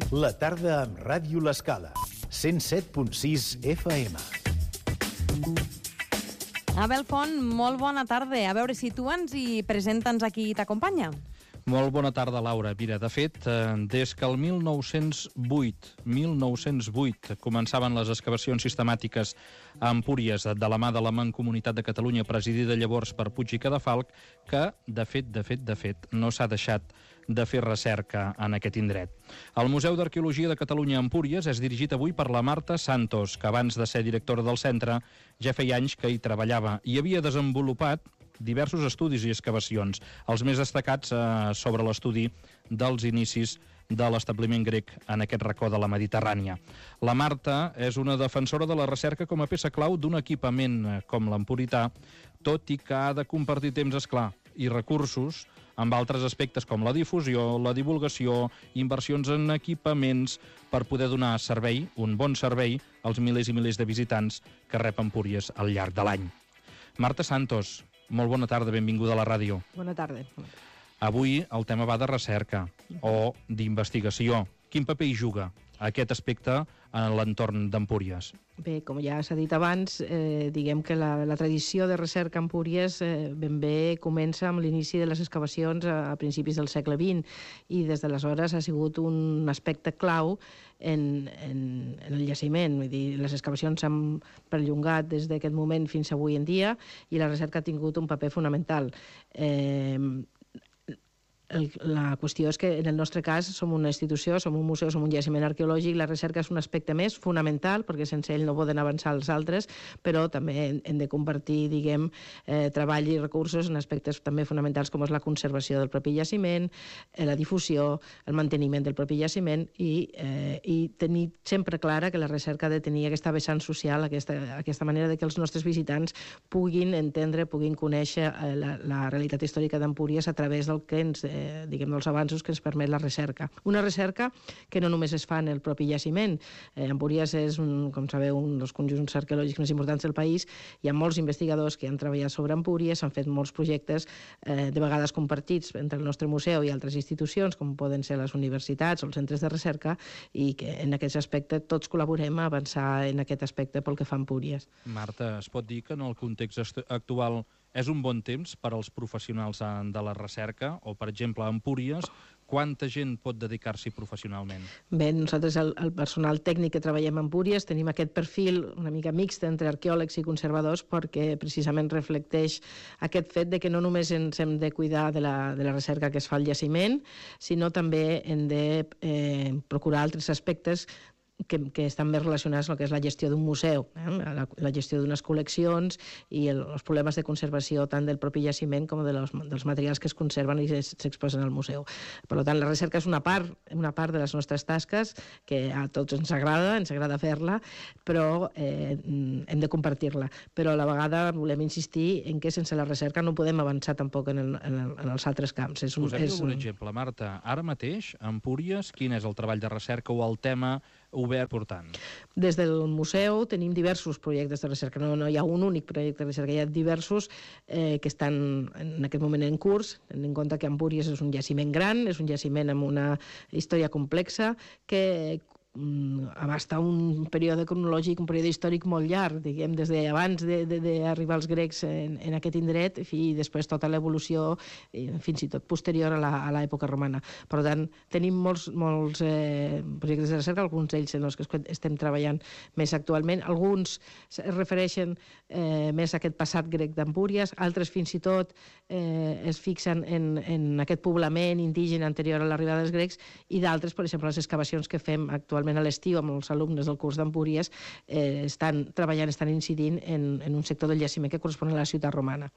La tarda amb Ràdio L'Escala. 107.6 FM. Abel Font, molt bona tarda. A veure, situa'ns i presenta'ns a qui t'acompanya. Molt bona tarda, Laura. Mira, de fet, des que el 1908 començaven les excavacions sistemàtiques a Empúries de la mà de la Mancomunitat de Catalunya, presidida llavors per Puig i Cadafalch, que, de fet, no s'ha deixat de fer recerca en aquest indret. El Museu d'Arqueologia de Catalunya a Empúries és dirigit avui per la Marta Santos, que abans de ser directora del centre ja feia anys que hi treballava i havia desenvolupat diversos estudis i excavacions, els més destacats sobre l'estudi dels inicis de l'establiment grec en aquest racó de la Mediterrània. La Marta és una defensora de la recerca com a peça clau d'un equipament com l'empurità, tot i que ha de compartir temps, esclar, i recursos amb altres aspectes com la difusió, la divulgació, inversions en equipaments per poder donar servei, un bon servei, als milers i milers de visitants que rep Empúries al llarg de l'any. Marta Santos, molt bona tarda, benvinguda a la ràdio. Bona tarda. Avui el tema va de recerca o d'investigació. Quin paper hi juga aquest aspecte en l'entorn d'Empúries? Bé, com ja s'ha dit abans, diguem que la tradició de recerca a Empúries ben bé comença amb l'inici de les excavacions a principis del segle XX i des d'aleshores ha sigut un aspecte clau en el jaciment. Vull dir, les excavacions s'han perllongat des d'aquest moment fins avui en dia i la recerca ha tingut un paper fonamental. La qüestió és que en el nostre cas som una institució, som un museu, som un jaciment arqueològic, la recerca és un aspecte més fonamental perquè sense ell no poden avançar els altres, però també hem de compartir, diguem, treball i recursos en aspectes també fonamentals com és la conservació del propi jaciment, la difusió, el manteniment del propi jaciment i tenir sempre clara que la recerca ha de tenir aquesta vessant social, aquesta manera de que els nostres visitants puguin entendre, puguin conèixer la realitat històrica d'Empúries a través del que ens diguem, dels avanços que ens permet la recerca. Una recerca que no només es fa en el propi jaciment. Empúries és, com sabeu, un dels conjunts arqueològics més importants del país. Hi ha molts investigadors que han treballat sobre Empúries, s'han fet molts projectes, de vegades compartits entre el nostre museu i altres institucions, com poden ser les universitats o els centres de recerca, i que en aquest aspecte tots col·laborem a avançar en aquest aspecte pel que fa a Empúries. Marta, es pot dir que en el context actual és un bon temps per als professionals de la recerca o, per exemple, a Empúries, quanta gent pot dedicar-s'hi professionalment? Bé, nosaltres, el personal tècnic que treballem a Empúries, tenim aquest perfil una mica mixt entre arqueòlegs i conservadors perquè precisament reflecteix aquest fet de que no només ens hem de cuidar de la recerca que es fa al jaciment, sinó també hem de procurar altres aspectes que estan més relacionats amb el que és la gestió d'un museu, la gestió d'unes col·leccions i els problemes de conservació tant del propi jaciment com dels materials que es conserven i s'exposen al museu. Per tant, la recerca és una part de les nostres tasques que a tots ens agrada fer-la, però hem de compartir-la. Però a la vegada volem insistir en que sense la recerca no podem avançar tampoc en els altres camps. Posem-hi un exemple, Marta. Ara mateix, a Empúries, quin és el treball de recerca o el tema obert portant? Des del museu tenim diversos projectes de recerca, no hi ha un únic projecte de recerca, hi ha diversos que estan en aquest moment en curs, tenint en compte que Empúries és un jaciment gran, és un jaciment amb una història complexa que abasta un període cronològic, un període històric molt llarg, diguem, des d'abans d'arribar els grecs en aquest indret i després tota l'evolució fins i tot posterior a l'època romana. Per tant, tenim molts projectes de recerca, alguns d'ells en els que estem treballant més actualment. Alguns es refereixen més a aquest passat grec d'Empúries, altres fins i tot es fixen en aquest poblament indígena anterior a l'arribada dels grecs i d'altres, per exemple, les excavacions que fem actualment a l'estiu amb els alumnes del curs d'Empúries estan treballant, estan incidint en un sector del jaciment que correspon a la ciutat romana.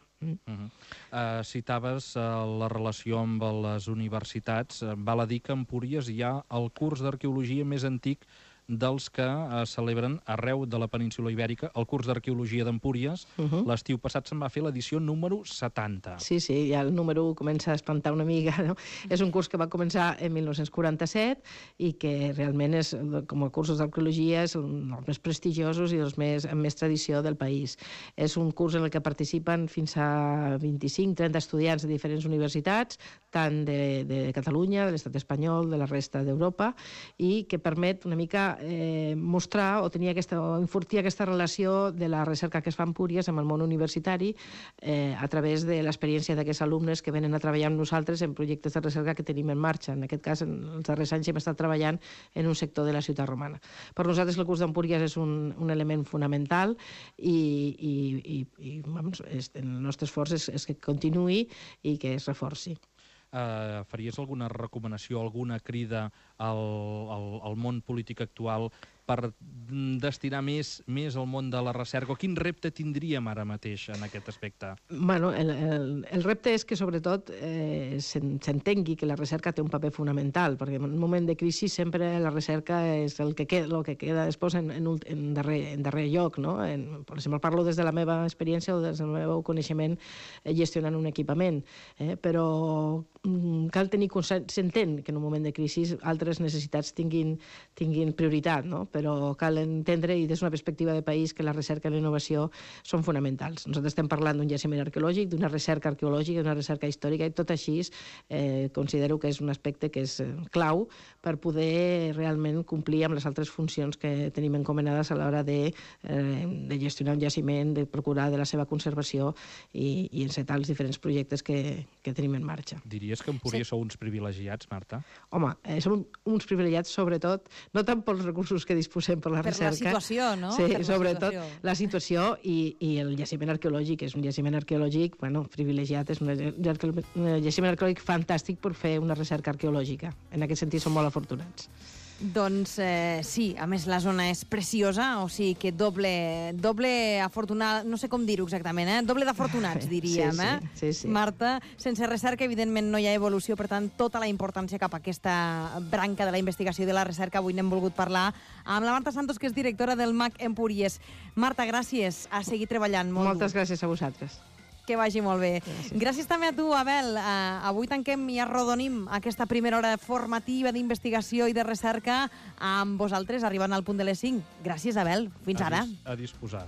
Citaves la relació amb les universitats. Val a dir que a Empúries hi ha el curs d'arqueologia més antic dels que es celebren arreu de la península Ibèrica. El curs d'Arqueologia d'Empúries, l'estiu passat se'n va fer l'edició número 70. Sí, ja el número 1 comença a espantar una mica, no? És un curs que va començar en 1947 i que realment és, com a cursos d'arqueologia, és un dels més prestigiosos i els amb més tradició del país. És un curs en el que participen fins a 25-30 estudiants de diferents universitats, tant de Catalunya, de l'estat espanyol, de la resta d'Europa, i que permet una mica mostrar o enfortir aquesta relació de la recerca que es fa a Empúries amb el món universitari a través de l'experiència d'aquests alumnes que venen a treballar amb nosaltres en projectes de recerca que tenim en marxa. En aquest cas, en els darrers anys hem estat treballant en un sector de la ciutat romana. Per nosaltres el curs d'Empúries és un element fonamental i el nostre esforç és que continuï i que es reforci. Faries alguna recomanació, alguna crida al món polític actual per destinar més al món de la recerca? Quin repte tindríem ara mateix en aquest aspecte? Bueno, el repte és que, sobretot, s'entengui que la recerca té un paper fonamental, perquè en un moment de crisi sempre la recerca és el que queda després en darrer lloc, no? Per exemple, parlo des de la meva experiència o des del meu coneixement gestionant un equipament, però cal tenir s'entén que en un moment de crisi altres necessitats tinguin prioritat, no? Però cal entendre, i des d'una perspectiva de país, que la recerca i la innovació són fonamentals. Nosaltres estem parlant d'un jaciment arqueològic, d'una recerca arqueològica, d'una recerca històrica, i tot així considero que és un aspecte que és clau per poder realment complir amb les altres funcions que tenim encomanades a l'hora de gestionar un jaciment, de procurar de la seva conservació i encetar els diferents projectes que tenim en marxa. Diries que Empúries sou uns privilegiats, Marta? Home, som uns privilegiats, sobretot, no tant pels recursos que disposem per la recerca. Per la situació, no? Sí, sobretot la situació i el jaciment arqueològic. És un jaciment arqueològic, bueno, privilegiat, és un jaciment arqueològic fantàstic per fer una recerca arqueològica. En aquest sentit som molt afortunats. Doncs sí, a més la zona és preciosa, o sigui que doble afortunat, no sé com dir-ho exactament, doble d'afortunats, diríem. Sí. Marta, sense recerca, evidentment, no hi ha evolució, per tant, tota la importància cap a aquesta branca de la investigació i de la recerca. Avui n'hem volgut parlar amb la Marta Santos, que és directora del MAC Empúries. Marta, gràcies, a seguir treballant. Moltes gràcies a vosaltres. Que vagi molt bé. Gràcies també a tu, Abel. Avui tanquem i arrodonim aquesta primera hora formativa d'investigació i de recerca amb vosaltres, arribant al punt de les 5. Gràcies, Abel. Fins ara. A disposar.